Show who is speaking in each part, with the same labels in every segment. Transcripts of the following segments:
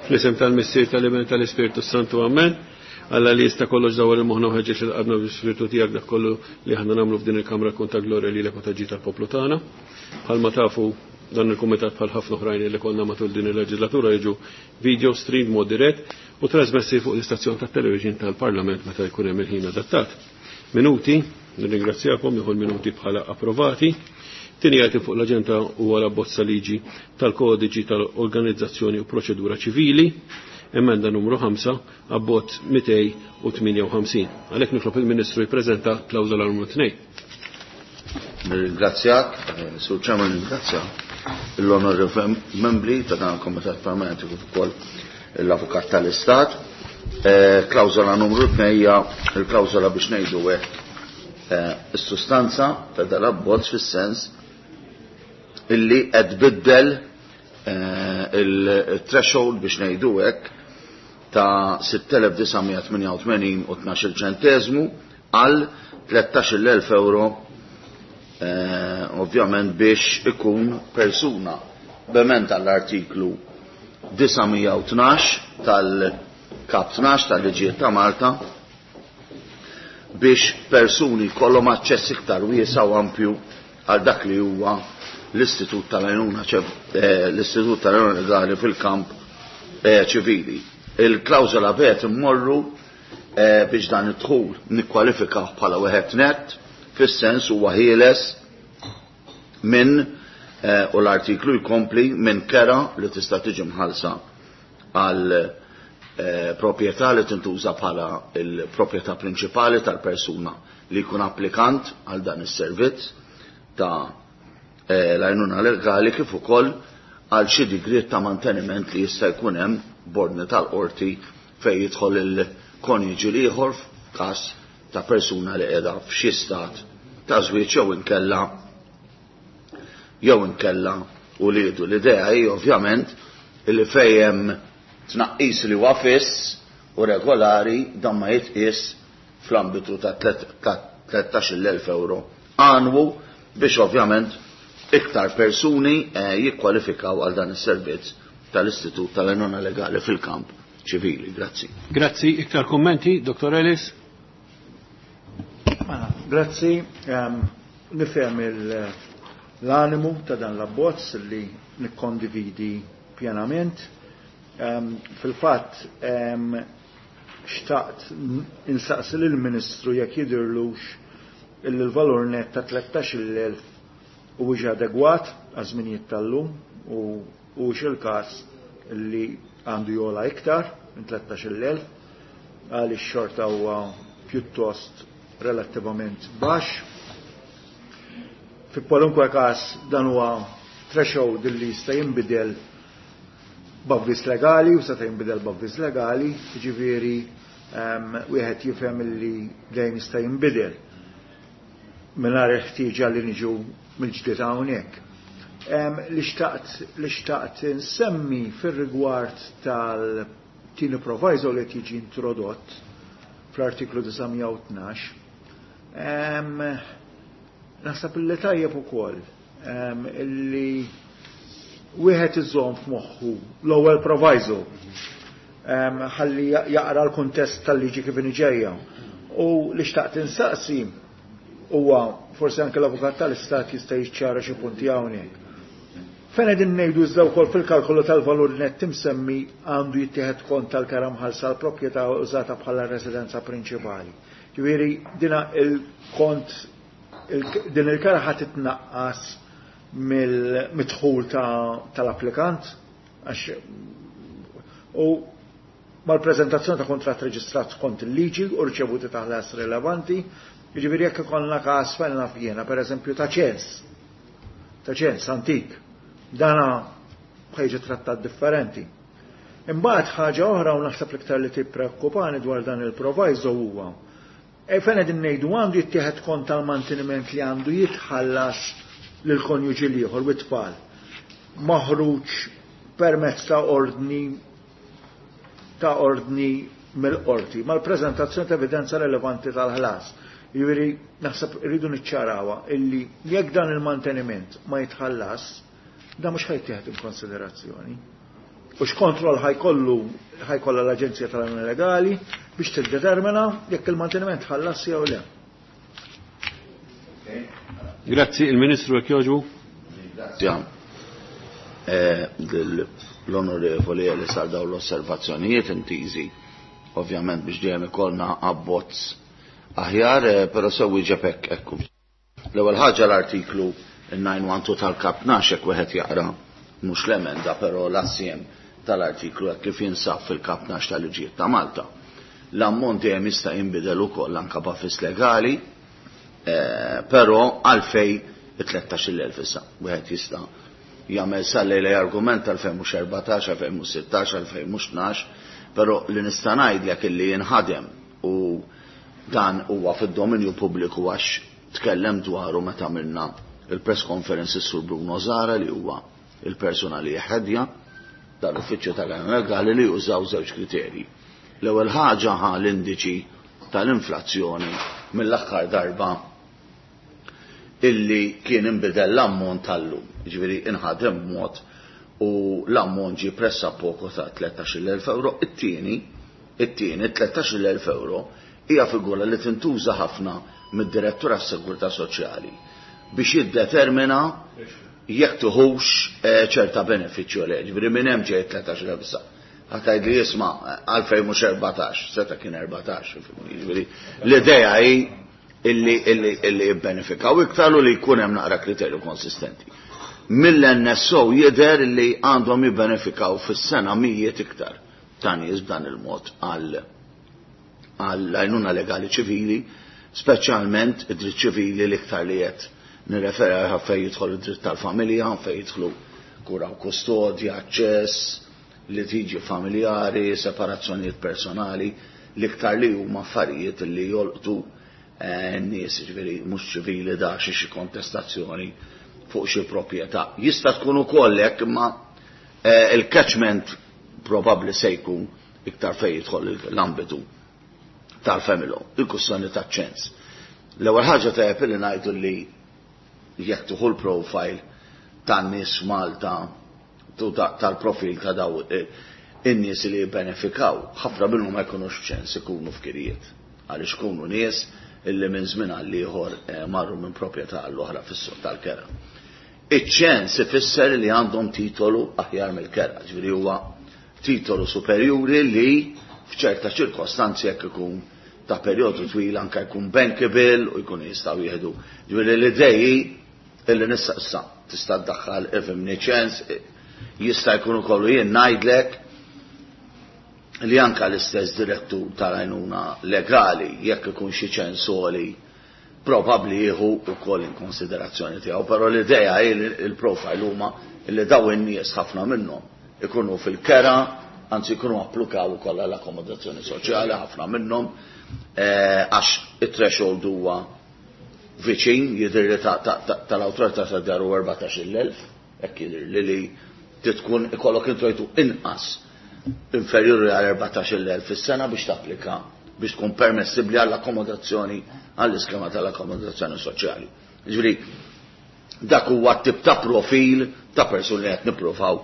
Speaker 1: Fl-isem tal-Missier tal-Iben tal-Ispirtu Santu Amen. Alla li jista' kollox dawar il-moħħna u ħeġġeġ lil qalbna bl-Ispirtu tiegħek dak kollu li aħna nagħmlu f'din il-kamra kun ta' glorja lilek u ta' ġid tal-poplu tagħna. Bħalma tafu dan il-kumitat bħal ħafna oħrajn li konna matul din il-leġislatura jiġu video stream mod dirett u trasmessi fuq l-istazzjon tat-television tal-Parlament meta jkun hemm il-ħin adattat. Minuti, nirringrazzjakom, nieħu l-minuti bħala approvati. Tieni item fuq l-aġenda huwa l-abbozza liġi tal-kodiċi tal-organizzazzjoni u proċedura ċivili, emenda numru 5, abbozz 258. Għalhekk nitlob il-Ministru jippreżenta klawżola numru 2.
Speaker 2: Nirringrazzjak, Sur Chairman, nirringrazzja l-onorevoli membri ta' dan il-Komitat Permanenti kif ukoll l-Avukat tal-Istat. Klawżola numru 2 hija l-klawżola biex ngħidu hekk is-sustanza ta' dal-abbozz fis-sens illi qed tbiddel il-threshold biex ngħidu hekk ta' 6,988 u 12 ċenteżmu għal 13,000 euro, ovvjament biex ikun persuna b'emenda għall-artiklu 912 tal-Kap 12 tal-Liġijiet ta' Malta biex persuni jkollhom aċċess iktar wiesa' u ampju għal dak li huwa l-Istitut tal-Għajnuna l-Istitut tal-Għajnuna Legali fil-kamp ċivili. Il-klawżola bet immorru biex dan id-dħul nikkwalifikaw bħala wieħed net, fis-sens huwa ħieles minn, u l-artiklu jkompli, minn kera li tista' tiġi mħallsa għal proprjetà li tintuża bħala l-proprjetà prinċipali tal-persuna li jkun applikant għal dan is-servizz ta' l-għajnuna legali kif ukoll għal xi digriet ta' manteniment li jista' jkun hemm b'ordni tal-qorti fejn jidħol il-konjuġi l-ieħor f'każ ta' persuna li qiegħda f'xi stat ta' żwieġ jew inkella uliedu. L-idea hi ovvjament li fejn hemm tnaqqis li huwa fiss u regolari dan ma jitqies fl-ambitu ta' 13,000 euro annwu biex ovvjament iktar persuni jikkwalifikaw għal dan is-servizz tal-Istitut tal-Għajnuna Legali fil-kamp ċivili. Grazzi.
Speaker 1: Grazzi. Iktar kummenti, Dottor Ellis?
Speaker 3: Mela, grazzi. Nifhem l-animu ta' dan l-abbozz li nikkondividi pjenament. Fil-fatt, xtaqt insaqsi lill-Ministru jekk jidhirlux illi l-valur net ta' 13,000 huwiex adegwat għaż-żminijiet tal-lum u huwiex il-każ li għandu jola iktar minn 13,000 għaliex xorta huwa pjuttost relattivament baxx. Fi kwalunkwe każ dan huwa threshold li jista' jinbidel b'avviż legali u seta' jinbidel b'avviż legali, jiġifieri wieħed jifhem li dejjem jista' jinbidel mingħajr il-ħtieġa li niġu mill-ġdid hawnhekk. Li xtaqt insemmi fir-rigward tal-tieni proviso li qed jiġi introdott fl-artiklu 912, naħseb li tajjeb ukoll illi wieħed iżomm f'moħħu l-ewwel proviso ħalli jaqra l-kuntest tal-liġi kif inhi ġejja. U li xtaqt insaqsi huwa forsi anke l-avukat tal-Istat jista' jiċċara xi punti hawnhekk. Fejn qegħdin ngħidu iżda wkoll fil-kalkolu tal-valur net imsemmi għandu jittieħed kont tal-kera mħallsa l-proprjetà użata bħala residenza prinċipali. Ġifieri dina il-kont din il-kera ħadd titnaqqas mill-midħul tal-applikant għax u mal-preżentazzjoni ta' kuntratt reġistrat skont il-liġi u riċevuti ta' ħlas rilevanti, jiġifieri jekk ikollna każ fejn naf jiena, pereżempju ta' ċens, ta' ċens antik, dana ħajġi trattat differenti. Imbagħad ħaġa oħra u naħseb l-iktar li tippreokkupani dwar dan il-proviso huwa fejn qegħdin ngħidu għandu jittieħed kont tal-manteniment li għandu jitħallas lil konjuġi l-ieħor u t-tfal maħruġ permezz ta' ordni ta' ordni mill-qorti mal-preżentazzjoni ta' evidenza relevanti tal-ħlas. Jiġifieri naħseb irridu niċċarawha illi jekk dan il-manteniment ma jitħallas, dan mhux ħajtieħed in konsiderazzjoni. U x'kontroll ħa jkollu ħa jkollha l-Aġenzija tal-Għajnuna Legali biex tiddetermina jekk il-manteniment tħallas jew le.
Speaker 1: Grazzi, il-Ministru jekk jogħġbu.
Speaker 2: Ringrazzja l-Onorevoli li sar dawn l-osservazzjonijiet intiżi ovvjament biex dejjem ikollna abbozz aħjar, però sew wieġeb hekk hekk. L-ewwel ħaġa l-artiklu 912 tal-Kap 12 hekk wieħed jaqra mhux l-emenda però l-assjem tal-artiklu hekk kif jinsab fil-Kap 12 tal-Liġijiet ta' Malta. L-ammont dejjem jista' jinbidel ukoll anke b'avviż legali, però għalfej it-13,000 issa. Wieħed jista' jagħmel sal-lejla argument għalfejn mhux 14, għalfejn mhux 16, għalfejn mhux 12, però li nista' ngħidlek illi jinħadem u dan huwa fid-dominju pubbliku għax tkellem dwaru meta għamilna il-press conference is-Sur Bruno Zara li huwa il-persuna li jeħedja dal-uffiċċju tal-għajnuna legali li jużaw żewġ kriterji. L-ewwel ħaġa ħa l-indiċi tal-inflazzjoni mill-aħħar darba illi kien inbidel l-ammont tal-lum. Ġifieri inħadem b'mod u l-ammont ġie pressappoco ta' 13,000 euro. It-tieni, it-tieni 13,000 euro hija figura li tintuża ħafna mid-Direttur għas-Sigurtà Soċjali biex jiddetermina jekk tuħux ċerta benefiċċju le. Ġifieri minn hemm ġej 13,000 issa. Ħa tgħid li jisma' għalfejn mhux 14, seta' kien 14, ġifieri l-idea hi illi illi illi jibbenefikaw iktar u li jkun hemm naqra kriterju konsistenti. Mill-NSO jidher li għandhom jibbenefikaw fis-sena mijiet iktar ta' nies b'dan il-mod għal għall-għajnuna legali ċivili, speċjalment id-dritt ċivili l-iktar li qed nirreferi għal fejn jidħol id-dritt tal-familja, fejn jidħlu kura u kustodja, aċċess, litiġi familjari, separazzjonijiet personali, l-iktar li huma affarijiet li jolqtu n-nies, ġifieri mhux ċivili da xi xi kontestazzjoni fuq xi proprjetà. Jista' tkun ukoll hekk imma il-catchment probabbli se jkun iktar fejn jidħol l-ambitu tal-family law, il-kwistjoni taċ-ċens. L-ewwel ħaġa tajjeb li ngħidu li jekk tieħu l-profile tan-nies Malta tal-profil ta' daw in-nies li jibbenefikaw, ħafna minnhom ma jkunux f'ċens ikunu f'kirijiet. Għaliex ikunu nies illi minn żmien għal ieħor marru minn proprjetà għall oħra fis-suq tal-kera. Iċ-ċens ifisser li għandhom titolu aħjar mill-kera, ġifieri huwa titolu superjuri li f'ċerta ċirkostanzi jekk ikun ta' perjodu twil anke jkun bankable u jkun jistgħu jieħdu. Ġifieri l-idej illi nista' issa tista' ddaħħal ifhimni ċens jista' jkun ukoll jien ngħidlek li anka l-istess direttur tal-għajnuna legali jekk ikun xi ċens għoli probabbli jieħu wkoll in konsiderazzjoni tiegħu, però l-idea hi li l-profile huma li daw in-nies ħafna minnhom ikunu fil-kera, anzi jkunu applikaw ukoll għall-akkomodazzjoni soċjali ħafna minnhom għax it-threshold huwa viċin jidher li tal-awtorità tad-dar huwa 14,000, hekk jidher li li tkun ikollok introjtu inqas inferjuri għal 14,000 fis-sena biex tapplika biex tkun permessibbli għall-akkomodazzjoni għall-iskema tal-akkomodazzjoni soċjali. Ġifieri dak huwa tip ta' profil ta' persuni li qed nippruvaw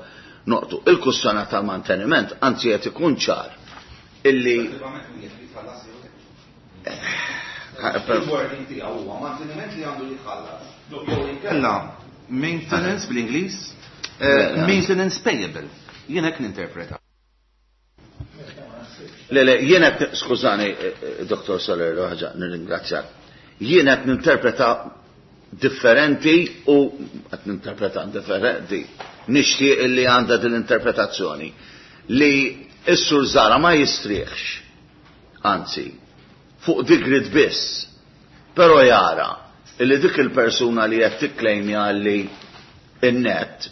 Speaker 2: noqtu. Il-kwistjoni tal-manteniment anzi qed ikun ċar illi
Speaker 4: Il-wording tiegħu huwa manteniment li għandu jitħallas. Jew inkella maintenance bl-Ingliż, maintenance payable. Jien hekk ninterpreta.
Speaker 2: Le, le, jien qed skużani, Dr. Soler, ħaġa, nirringrazzjak. Jien qed ninterpreta differenti u qed ninterpreta differenti. Nixtieq illi għandha din l-interpretazzjoni li s-Sur Zara ma jistrieħx, anzi, fuq digrit biss, però jara illi dik il-persuna li qed tikklejmja li in-net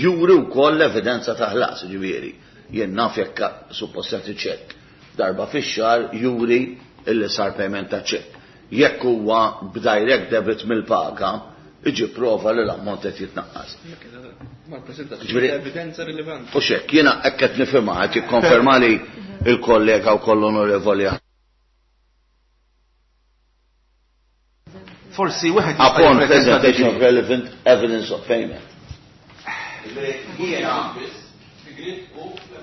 Speaker 2: juri wkoll l-evidenza ta' ħlas, ġifieri. Jien naf jekk suppost jagħti ċekk. Darba fix-xahar juri illi sar payment ta' ċekk. Jekk huwa b'direct debit mill-paga, iġi prova li l-ammont qed jitnaqqas.
Speaker 5: Ma prezentazzjoni evidenza rilevanti.
Speaker 2: U xek, jiena hekk qed nifhimha qed jikkonferma li il-kollega wkoll onorevoli.
Speaker 4: Forsi wieħed
Speaker 2: Upon presentation of relevant evidence of payment. Jiena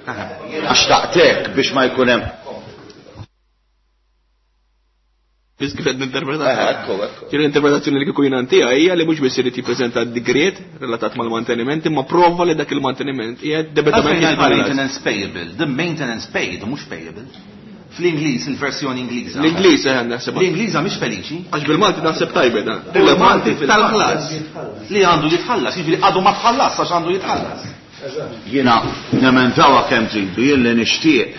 Speaker 2: Għax taqtek biex ma jkun hemm.
Speaker 5: Biss kif qed ninterpreta. Ekku, ekku. Ġieli l-interpretazzjoni li kieku jiena ntiha hija li mhux biss irid jippreżenta d-digriet relatat mal-manteniment imma prova li dak il-manteniment qiegħed debitament jitħallas.
Speaker 4: Maintenance payable, the maintenance paid mhux payable. Fl-Ingliż, il-versjoni Ingliża.
Speaker 5: L-Ingliż eh naħseb.
Speaker 4: L-Ingliża mhix feliċi.
Speaker 5: Għax bil-Malti naħseb tajbe dan. Rilevanti tal-ħlas.
Speaker 4: Li għandu jitħallas, jiġifieri għadu ma tħallas għax għandu jitħallas.
Speaker 2: Jiena nemendawha kemm tridu, jien li nixtieq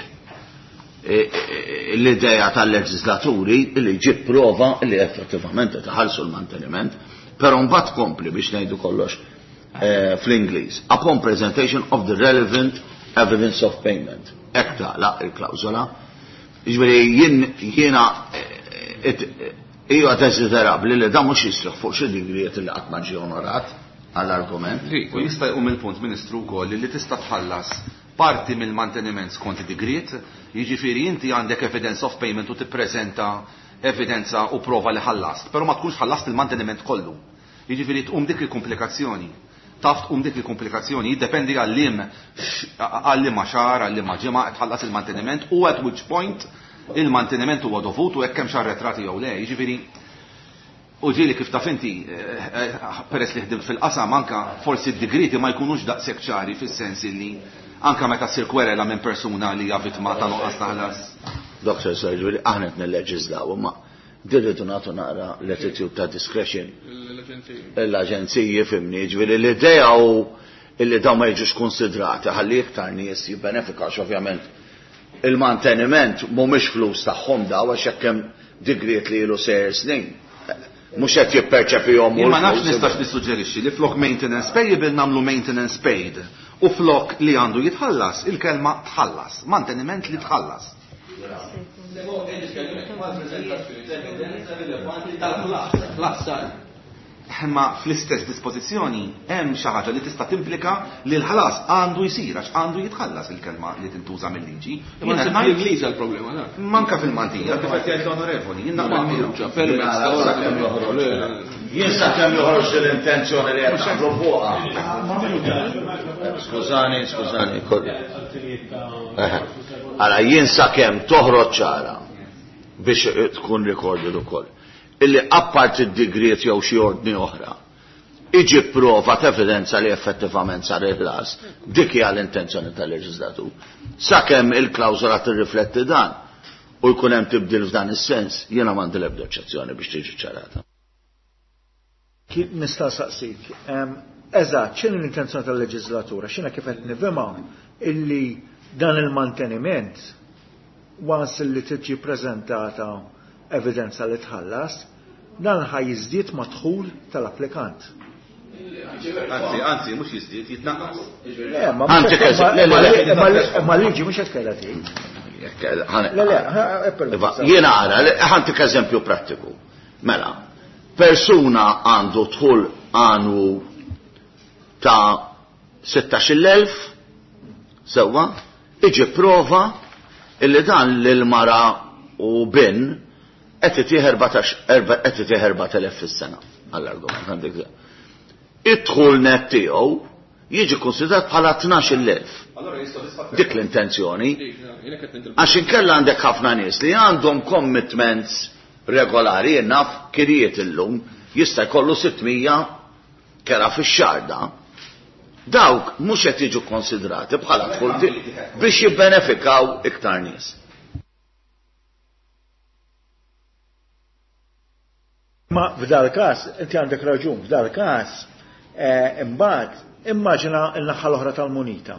Speaker 2: l-idea tal-leġislaturi li jġib prova li effettivament qed iħallsu l-manteniment, però mbagħad tkompli biex ngħidu kollox fl-Ingliż, upon presentation of the relevant evidence of payment. Hekk tagħlaq il-klawżola. Jiġifieri jien jiena hija desiderabbli li dan mhux jistrieħ fuq xi digriet li qatt ma ġie onorat għall-argument.
Speaker 4: U jista' jqum il-punt, Ministru, wkoll li tista' tħallas parti mill-manteniment skont id-digriet, jiġifieri inti għandek evidence of payment u tippreżenta evidenza u prova li ħallast, però ma tkunx ħallast il-manteniment kollu. Jiġifieri tqum dik il-komplikazzjoni. Taf tqum dik il-komplikazzjoni, jiddependi għal liem għal liema xahar, għal liema ġimgħa qed tħallas il-manteniment u at which point il-manteniment huwa dovut u hekk hemmx arretrati jew le. Jiġifieri U ġieli kif taf inti, peress li ħdimt fil-qasam, anke forsi d-digrieti ma jkunux daqshekk ċari fis-sens illi anke meta ssir kwerela minn persuna li hija vittma ta' nuqqas ta' ħlas.
Speaker 2: Doctor Sorry, ġifieri aħna qed nilleġiżlaw, imma din rridu nagħtu naqra latitude ta' discretion. L-aġenziji, fimni, ġifieri l-idea hu illi dawn ma jiġux konsidrati ħalli iktar nies jibbenefikaw għax ovvjament il-manteniment mhumiex flus tagħhom daw għax hekk hemm digriet li ilu sejjer snin. Mhux qed jipperċepihom
Speaker 4: hu. Jien ma nafx nistax nissuġġerixxi li flok maintenance payable nagħmlu maintenance paid u flok li għandu jitħallas il-kelma tħallas, manteniment li tħallas. Imma fl-istess dispożizzjoni hemm xi ħaġa li tista' timplika li l-ħlas għandu jsir għax għandu jitħallas il-kelma li tintuża mil-liġi.
Speaker 5: Imma
Speaker 4: Jien qed
Speaker 5: ngħid fl-Ingliż għall-problema dak.
Speaker 4: Manka fil-Maltija, kif qed jgħid l-Onorevoli, jien naqbel miegħu.
Speaker 5: Maħruġa permezz ta'
Speaker 2: ordni. Jien sakemm joħroġ din l-intenzjoni li qed naqblu fuqha. Skużani, skużani. Ara jien sakemm toħroġ ċara biex tkun recorded ukoll. Illi apparti d-digriet jew xi ordni oħra, iġib prova t'evidenza li effettivament sar il-ħlas, dik hija l-intenzjoni tal-leġislatur. Sakemm il-klawżola tirrifletti dan u jkun hemm tibdil f'dan is-sens, jiena m'għandi l-ebda oġġezzjoni biex tiġi ċarata.
Speaker 3: Nista' saqsik, eżatt, x'inhi l-intenzjoni tal-leġislatura? X'inha kif qed nifhimha illi dan il-manteniment once li tiġi preżentata evidenza li tħallas, dan ħa jiżdied mad-dħul tal-applikant.
Speaker 4: Anzi, anzi, mhux jiżdied, jitnaqqas.
Speaker 3: Ma liġi mhux qed kellha tgħid. Le, le,
Speaker 2: Jiena ara, ħantik eżempju prattiku. Mela, persuna għandu dħul annwu ta' 16,000, sewwa, iġi prova illi dan lil mara u bin qed itih qed itih 4,000 fis-sena għall-argument għandek. Id-dħul net tiegħu jiġi konsidrat bħala 12,000. Dik l-intenzjoni. Għax inkella għandek ħafna nies li għandhom commitments regolari, naf kirjiet illum, jista' jkollu 600 kera fix-xahar da. Dawk mhux qed jiġu konsidrati bħala dħul biex jibbenefikaw iktar nies.
Speaker 3: Ma f'dal każ, inti għandek raġun, f'dal każ, imbagħad immaġina n-naħa l-oħra tal-munita.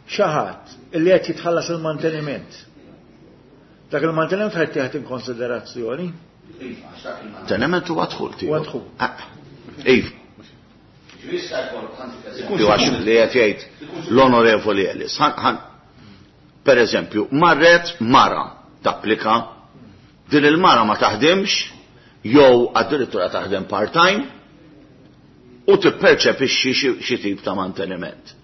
Speaker 3: Xi ħadd illi qed jitħallas il-manteniment. Dak il-manteniment ħa jittieħed in konsiderazzjoni.
Speaker 2: Manteniment huwa dħul tiegħu.
Speaker 3: Huwa dħul.
Speaker 2: Iva. Għax li qed jgħid l-Onorevoli Ellis. Per eżempju, marret mara tapplika, din il-mara ma taħdimx, jew addirittura taħdem part-time, u tipperċepixxi xi tip ta' manteniment.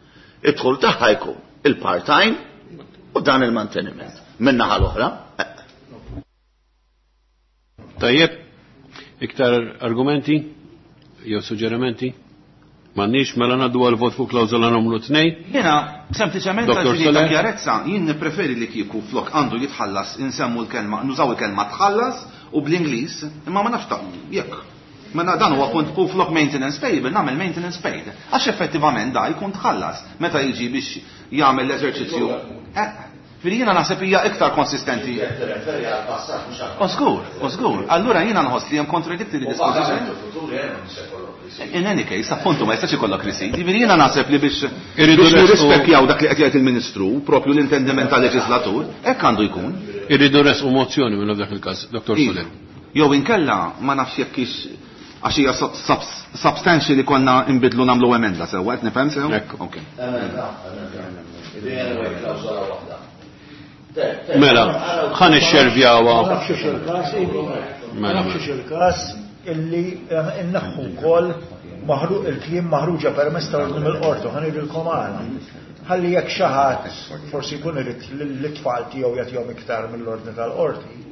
Speaker 2: Id-dħul tagħha jkun il-part-time u dan il-manteniment. Min-naħa l-oħra.
Speaker 1: Tajjeb, iktar argumenti jew suġġerimenti? M'għandniex, mela ngħaddu għal vot fuq klawżola numru 2.
Speaker 4: Jiena sempliċement
Speaker 1: Dr.
Speaker 4: għal ta'
Speaker 1: Soler.
Speaker 4: kjarezza jien nippreferi li kieku flok għandu jitħallas insemmu l-kelma, nużaw il-kelma tħallas u bl-Ingliż, imma ma nafx ta' jekk. Mela dan huwa punt u flok maintenance payable nagħmel maintenance paid. Għax effettivament da jkun tħallas meta jiġi biex jagħmel l-eżerċizzju. Ġifieri jiena naħseb hija iktar konsistenti. Osgur, osgur. Allura jiena nħoss li hemm contradictory disposition. In any case, appuntu ma jistax ikollok receipt. Ġifieri jiena naħseb li biex
Speaker 1: Irridu
Speaker 4: biex
Speaker 1: resqu-
Speaker 4: nirrispekjaw dak li qed jgħid il-Ministru, propju l-intendiment tal-leġislatur, hekk għandu jkun.
Speaker 1: Irridu resqu mozzjoni minn f'dak il-każ, Dr.
Speaker 4: Iva.
Speaker 1: Soler.
Speaker 4: Jew inkella ma nafx jekk hix għax hija substantial li konna nbidlu nagħmlu emenda sewwa, qed nifhem sew?
Speaker 1: Ekku.
Speaker 4: Ok.
Speaker 1: Mela, ħa nixxervjawha.
Speaker 3: Ma nafx hux il-każ, Ivi. Ma
Speaker 1: Mela,
Speaker 3: nafx hux il-każ illi inneħħu wkoll maħruq il-kliem maħruġa permezz tal-ordni mill-qorti, ħa ngħidilkom għala. Ħalli jekk xi ħadd forsi jkun irid lit-tfal tiegħu jagħtihom iktar mill-ordni tal-qorti.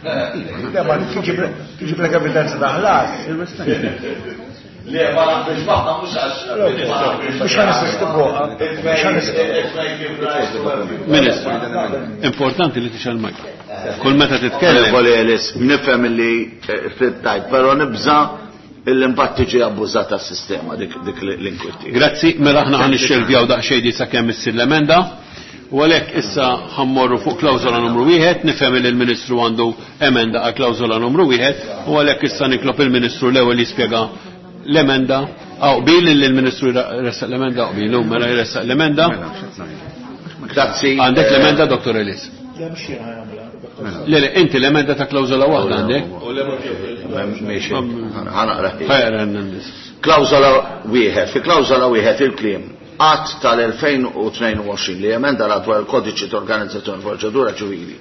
Speaker 3: Le, ma tiġiblek evidenza ta' ħlas.
Speaker 2: Le, ma naqbilx magħha mhux għax.
Speaker 3: Mhux ħa nisisti fuqha, mhux ħa nisisti.
Speaker 1: Ministru, importanti li tixgħel mic. Kull meta titkellem.
Speaker 2: Onorevoli Ellis, nifhem li ftit tajt, però nibża' illi mbagħad tiġi abbużata s-sistema dik l-inkwitti.
Speaker 1: Grazzi, mela aħna ħa nixxervjaw daqsxejn di sakemm issir l-emenda. U għalhekk issa ħammorru fuq klawżola numru 1, nifhem li l-Ministru għandu emenda għal klawżola numru 1, u għalhekk issa nitlob il-Ministru l-ewwel jispjega l-emenda. Aw qbil li l-Ministru jressaq l-emenda, qbil, mela jressaq l-emenda.
Speaker 2: Grazzi.
Speaker 1: Għandek l-emenda, Dr. Ellis?
Speaker 3: Le, mhux jien ħa nagħmilha.
Speaker 1: Le, le, inti l-emenda ta' klawżola waħda għandek?
Speaker 2: Miexi, ħa naqra.
Speaker 1: Ħajra n-nies.
Speaker 2: Klawżola wieħed, fi klawżola wieħed il-kliem Att tal-2022 li emenda l dwar il-kodiċi ta' organizzazzjoni proċedura ċivili.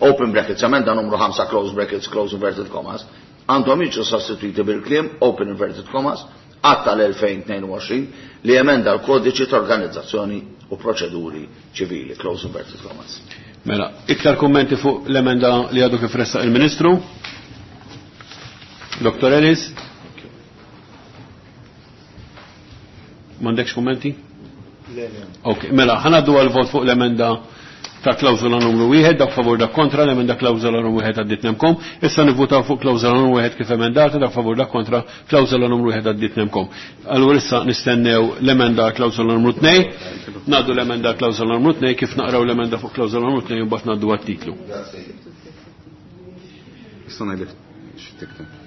Speaker 2: Open brackets, emenda numru 5, close brackets, close inverted commas, għandhom jiġu sostituiti bil-kliem open inverted commas, Att tal-2022 li emenda l-kodiċi ta' organizzazzjoni u proċeduri ċivili, close inverted commas.
Speaker 1: Mela, iktar kummenti fuq l-emenda li għadu kif ressaq il-Ministru? Dr. Ellis? M'għandekx kummenti?
Speaker 3: Le, le.
Speaker 1: Ok, mela, ħa ngħaddu għal-vot fuq l-emenda ta' klawżola numru 1, dak favur dak kontra, l-emenda klawżola numru 1 għaddit nemkom. Issa nivvutaw fuq klawżola numru 1 kif emendata, dak favur dak kontra, klawżola numru 1 għaddit nemkom. Allura issa nistennew l-emenda klawżola numru 2, ngħaddu l-emenda klawżola numru 2 kif naqraw l-emenda fuq klawżola numru 2 u mbagħad ngħaddu għat-titlu.
Speaker 4: Issa ngħidlek x'tikteb.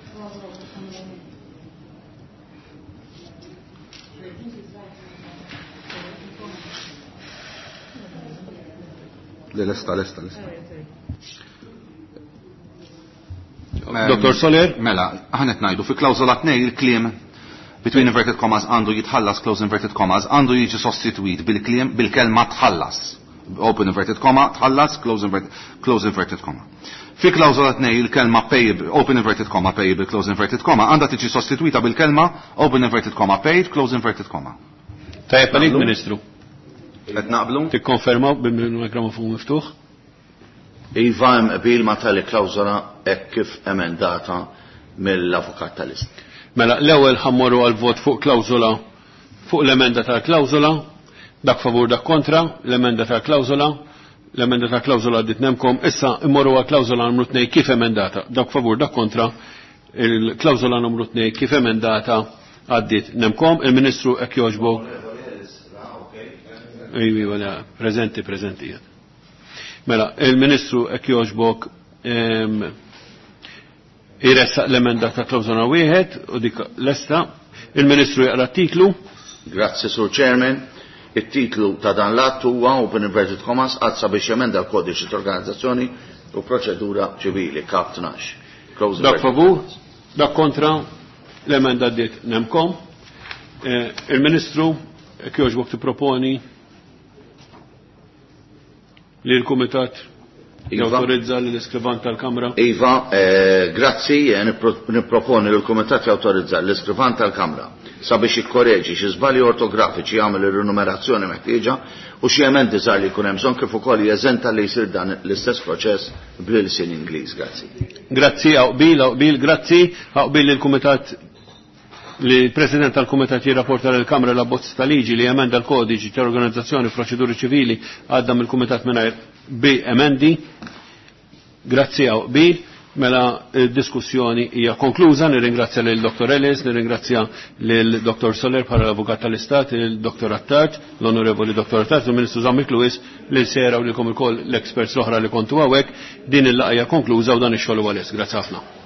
Speaker 4: Le, lesta, lesta, lesta.
Speaker 1: Dr. Soler?
Speaker 4: Mela, aħna qed ngħidu fi klawżola 2 il-kliem between inverted commas għandu jitħallas close inverted commas għandu jiġi sostitwit bil-kliem bil-kelma tħallas. Open inverted comma, tħallas, close inverted, close inverted comma. Fi klawżola 2 il-kelma payable, open inverted comma, payable, close inverted comma, għandha tiġi sostitwita bil-kelma open inverted comma, paid, close inverted comma.
Speaker 1: Tajjeb għalik, Ministru.
Speaker 4: Qed naqblu?
Speaker 1: Tikkonfermaw bil-mikrofon miftuħ?
Speaker 2: Iva, hemm qbil ma' tali klawżola hekk kif emendata mill-avukat tal-Istat.
Speaker 1: Mela, l-ewwel ħa mmorru għal vot fuq klawżola fuq l-emenda tal-klawżola, dak favur dak kontra, l-emenda tal-klawżola, l-emenda tal-klawżola għaddit nemkom, issa immorru għal klawżola numru 2 kif emendata, dak favur dak kontra, il-klawżola numru 2 kif emendata għaddit nemkom, il-Ministru hekk jogħġbok. Iva, iva, prezenti, prezenti. Mela, il-Ministru hekk jogħġbok jressaq l-emenda ta' klawżola wieħed u dik lesta. Il-Ministru jaqra t-titlu.
Speaker 2: Grazzi, Sur Chairman. Il-titlu ta' dan l-att huwa open inverted commas att sabiex jemenda l-kodiċi ta' organizzazzjoni u proċedura ċivili, kap 12. Close
Speaker 1: Dak
Speaker 2: inverted
Speaker 1: favur,
Speaker 2: commas.
Speaker 1: dak kontra, l-emenda għaddiet nemkom. Il-Ministru hekk jogħġbok tipproponi li l-Kumitat
Speaker 2: Iva.
Speaker 1: jawtorizza li l-iskrivan tal-Kamra.
Speaker 2: Iva, grazzi, nipproponi li l-Kumitat jawtorizza l-iskrivan tal-Kamra sabiex jikkoreġi xi żbalji ortografiċi, jagħmel ir-rinumerazzjoni meħtieġa u xi emendi żgħar li jkun hemm bżonn, kif ukoll jeżenta li jsir dan l-istess proċess bl-ilsien Ingliż. Grazzi.
Speaker 1: Grazzi, hawn qbil, hawn qbil, grazzi, hawn qbil lill-Kumitat li l-President tal-Kumitat jirrapporta lill-Kamra l-abbozz ta' liġi li emenda l-Kodiċi ta' Organizzazzjoni Proċeduri Ċivili għadda mill-Kumitat mingħajr bi emendi. Grazzi, hawn qbil. Mela d-diskussjoni hija konkluża, nirringrazzja lil Dr. Ellis, nirringrazzja lil Dr. Soler bħala l-Avukat tal-Istat, lil Dr. Attard, l-Onorevoli Dr. Attard, u Ministru Zammit Lewis, lil Sera u lilkom ilkoll l-experts l-oħra li kontu hawnhekk. Din il-laqgħa hija konkluża u dan ix-xogħol huwa lest. Grazzi ħafna.